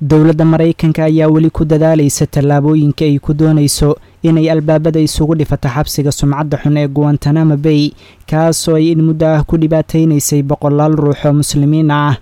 Dowladda Maraykanka ayaa weli ku dadaalaysa tallaabooyinka ay ku doonayso inay albaabada isugu dhifato xabsiga sumcadda xun ee Guantanamo Bay, kaasoo ay in muddo ah ku dhibaataynaysay boqolaal ruux oo muslimiin ah.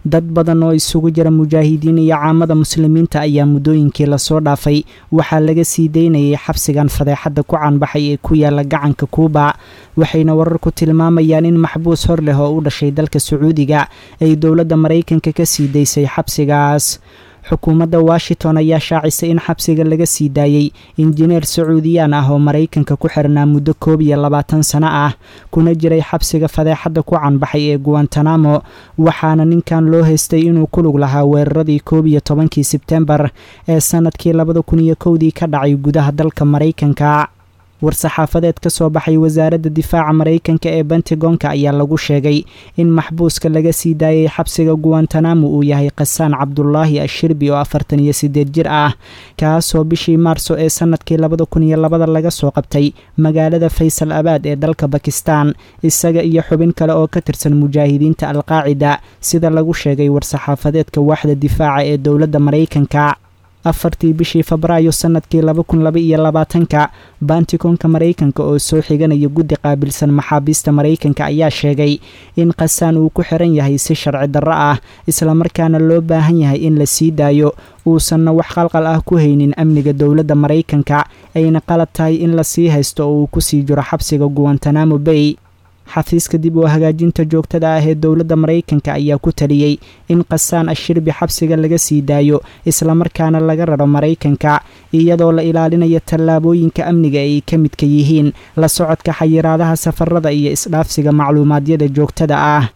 Dad badan oo isugu jira mujaahidiin iyo caamada muslimiinta ayaa muddooyinkii lasoo dhaafay waxaa laga sii daynayay xabsigan fadeexadda ku caanbaxay ee ku yaala gacanka Kuuba, waxayna wararku tilmaamayaan in maxbuus hor leh oo u dhashay dalka Sacuudiga ay dowladda Maraykanka ka sii daysay xabsigaas. Xukuumadda Washington ayaa shaacisay in xabsiga laga sii daayey injineer Sacuudiyaan ah oo Maraykanka ku xirnaa muddo 21 sano ah, kuna jiray xabsiga fadeexadda ku canbaxay ee Guantanamo, waxaana ninkan loo haystay inuu ku lug lahaa weeraradii 11-kii Sebtembar ee sannadkii 2001-dii ka dhacay gudaha dalka Maraykanka. War-saxaafadeed ka soo baxay wasaaradda difaaca Maraykanka ee Pentagon-ka ayaa lagu sheegay in maxbuuska laga sii daayey xabsiga Guantanamo uu yahay Khasaan Cabdulaahi Ashirbi oo 48 jir ah, kaasoo bishii Maarso ee sannadkii 2002 laga soo qabtay magaalada Faysal Abaad ee dalka Bakistan, isaga iyo xubin kale oo ka tirsan mujaahidiinta Alqaacida, sida lagu sheegay war-saxaafadeedka waaxda difaaca ee dowladda Maraykanka. 4-tii bishii Febraayo sannadkii 2022-ka, Pentagon-ka Maraykanka oo soo xiganaya guddi qaabilsan maxaabiista Maraykanka ayaa sheegay in Khasaan uu ku xiran yahay si sharci darro ah, islamarkaana loo baahan yahay in la sii daayo, uusanna wax qalqal ah ku haynin amniga dowladda Maraykanka, ayna qalad tahay in la sii haysto oo uu kusii jiro xabsiga Guantanamo Bay. Xafiiska dib u hagaajinta joogtada ah ee dowladda Maraykanka ayaa ku taliyey in Khasaan Ashirbi xabsiga laga sii daayo, islamarkaana laga raro Maraykanka, iyadoo la ilaalinayo tallaabooyinka amniga ay ka midka yihiin la socodka xayiraadaha safarada iyo isdhaafsiga macluumaadyada joogtada ah.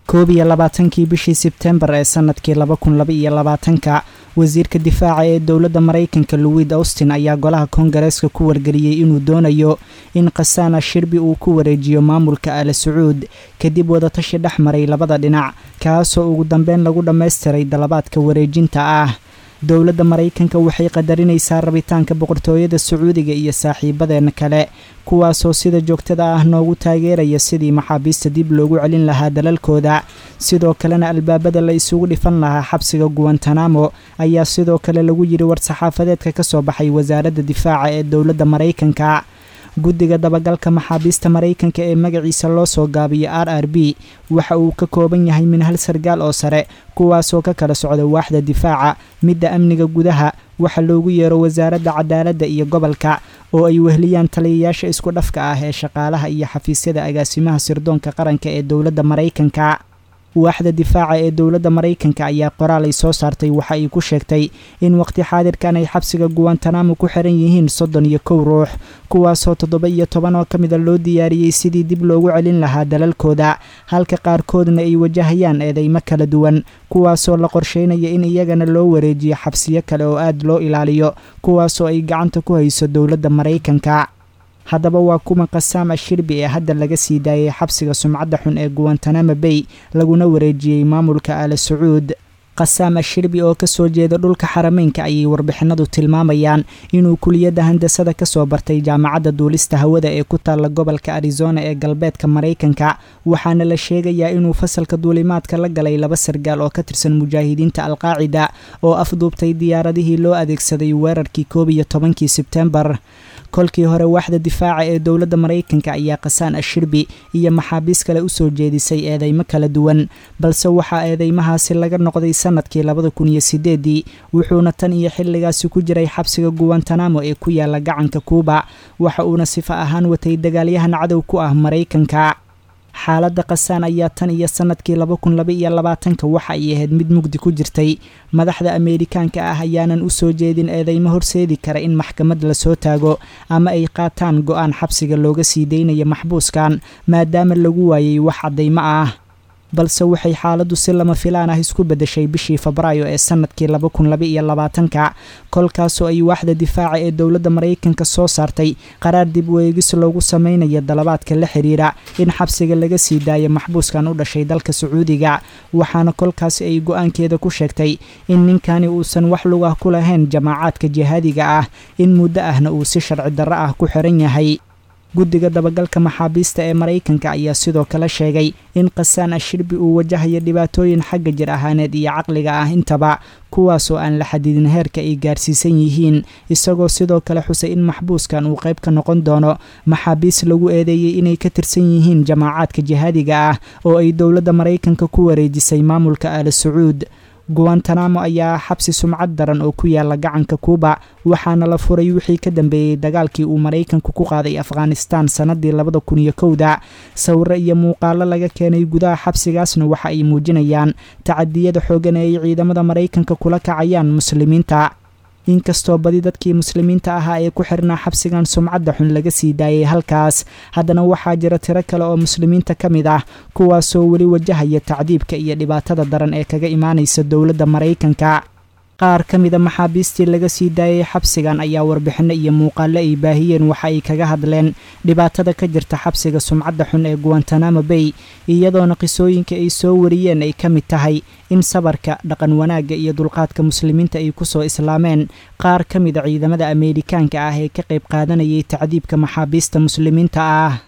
21-kii bishii Sebtembar ee sannadkii 2022-ka, wasiirka difaaca ee dowladda Maraykanka Louis Austin ayaa golaha koongareeska ku wargeliyey inuu doonayo in Khasaan Ashirbi uu ku wareejiyo maamulka Ala Sacuud, kadib wadatashi dhex maray labada dhinac, kaasoo ugu dambeyn lagu dhammaystiray dalabaadka wareejinta ah. Dowladda Maraykanka waxay qadarinaysaa rabitaanka boqortooyada Sacuudiga iyo saaxiibadeena kale, kuwaasoo sida joogtada ah noogu taageeraya sidii maxaabiista dib loogu celin lahaa dalalkooda, sidoo kalena albaabada la isugu dhifan lahaa xabsiga Guantanamo, ayaa sidoo kale lagu yidhi war-saxaafadeedka ka soo baxay wasaaradda difaaca ee dowladda Maraykanka. Guddiga dabagalka maxaabiista Maraykanka ee magaciisa loo soo gaabiyo RRB waxa uu ka kooban yahay min hal sargaal oo sare, kuwaasoo ka kala socda waaxda difaaca, midda amniga gudaha, waxa loogu yeero wasaaradda cadaaladda iyo gobolka, oo ay weheliyaan taliyayaasha isku dhafka ah ee shaqaalaha iyo xafiisyada agaasimaha sirdoonka qaranka ee dowladda Maraykanka. Waaxda difaaca ee dowladda Maraykanka ayaa qoraal ay soo saartay waxa ay ku sheegtay in waqti xaadirkan ay xabsiga Guantanamo ku xiran yihiin 31 ruux, kuwaasoo 17 oo ka mida loo diyaariyey sidii dib loogu celin lahaa dalalkooda, halka qaarkoodna ay wajahayaan eedeymo kala duwan, kuwaasoo la qorsheynaya in iyagana loo wareejiyo xabsiyo kale oo aad loo ilaaliyo, kuwaasoo ay gacanta ku hayso dowladda Maraykanka. Haddaba waa kuma Qasaam Ashirbi ee hadda laga sii daayay xabsiga sumcadda xun ee Guantanamo Bay, laguna wareejiyey maamulka Ala Sacuud? Qasaam Ashirbi oo kasoo jeeda dhulka xarameynka ayay warbixinadu tilmaamayaan inuu kuliyadda handasada kasoo bartay jaamacadda duulista hawada ee ku taalla gobolka Arizona ee galbeedka Maraykanka, waxaana la sheegayaa inuu fasalka duulimaadka la galay laba sargaal oo ka tirsan mujaahidiinta Alqaacida oo afduubtay diyaaradihii loo adeegsaday weerarkii 11-kii Sebtembar. Kolkii hore waaxda difaaca ee dowladda Maraykanka ayaa Khasaan Ashirbi iyo maxaabiis kale usoo jeedisay eedeymo kala duwan, balse waxaa eedeymahaasi laga noqday sannadkii 2008-dii, wuxuuna tan iyo xilligaasi ku jiray xabsiga Guantanamo ee ku yaala gacanka Kuuba, waxa uuna sifa ahaan watay dagaalyahan cadow ku ah Maraykanka. Xaaladda Khasaan ayaa tan iyo sannadkii 2022-ka waxa ay ahayd mid mugdi ku jirtay. Madaxda Ameerikaanka ah ayaanan u soo jeedin eedeymo horseedi kara in maxkamad lasoo taago ama ay qaataan go'aan xabsiga looga sii deynayo maxbuuskan, maadaama lagu waayey wax caddaymo ah. Balse waxay xaaladdu si lama filaan ah isku beddeshay bishii Febraayo ee sannadkii 2022-ka, kolkaasoo ay waaxda difaaca ee dowladda Maraykanka soo saartay qaraar dib u eegis loogu sameynayo dalabaadka la xiriira in xabsiga laga sii daayo maxbuuskan u dhashay dalka Sacuudiga, waxaana kolkaasi ay go-aankeeda ku sheegtay in ninkani uusan wax lug ah ku lahayn jamaacaadka jihaadiga ah, in muddo ahna uu si sharci darro ah ku xiran yahay. Guddiga dabagalka maxaabiista ee Maraykanka ayaa sidoo kale sheegay in Khasaan Ashirbi uu wajahayo dhibaatooyin xagga jir ahaaneed iyo caqliga ah intaba, kuwaasoo aan la xadidin heerka ay gaarsiisan yihiin, isagoo sidoo kale xusay in maxbuuskan uu qayb ka noqon doono maxaabiis lagu eedeeyey inay ka tirsan yihiin jamaacaadka jihaadiga ah oo ay dowladda Maraykanka ku wareejisay maamulka Aala Sacuud. Guwantanamo ayaa xabsi sumcad daran oo ku yaala gacanka Kuuba, waxaana la furay wixii ka dambeeyey dagaalkii uu Maraykanku ku qaaday Afghanistan sannadii 2001-da. Sawiro iyo muuqaalo laga keenay gudaha xabsigaasna waxa ay muujinayaan tacadiyada xoogan ee ay ciidamada Maraykanka kula kacayaan muslimiinta. Inkastoo badi dadkii muslimiinta ahaa ee ku xirnaa xabsigan sumcadda xun laga sii daayay halkaas, haddana waxaa jira tiro kale oo muslimiinta ka mid ah kuwaasoo weli wajahaya tacdiibka iyo dhibaatada daran ee kaga imaanaysa dowladda Maraykanka. Qaar ka mida maxaabiistii laga sii daayay xabsigan ayaa warbixinno iyo muuqaalo ay baahiyeen waxa ay kaga hadleen dhibaatada ka jirta xabsiga sumcadda xun ee Guantanamo Bay, iyadoona qisooyinka ay soo wariyeen ay ka mid tahay in sabarka, dhaqan wanaagga iyo dulqaadka muslimiinta ay kusoo islaameen qaar ka mida ciidamada Ameerikaanka ah ee ka qayb qaadanayay tacdiibka maxaabiista muslimiinta ah.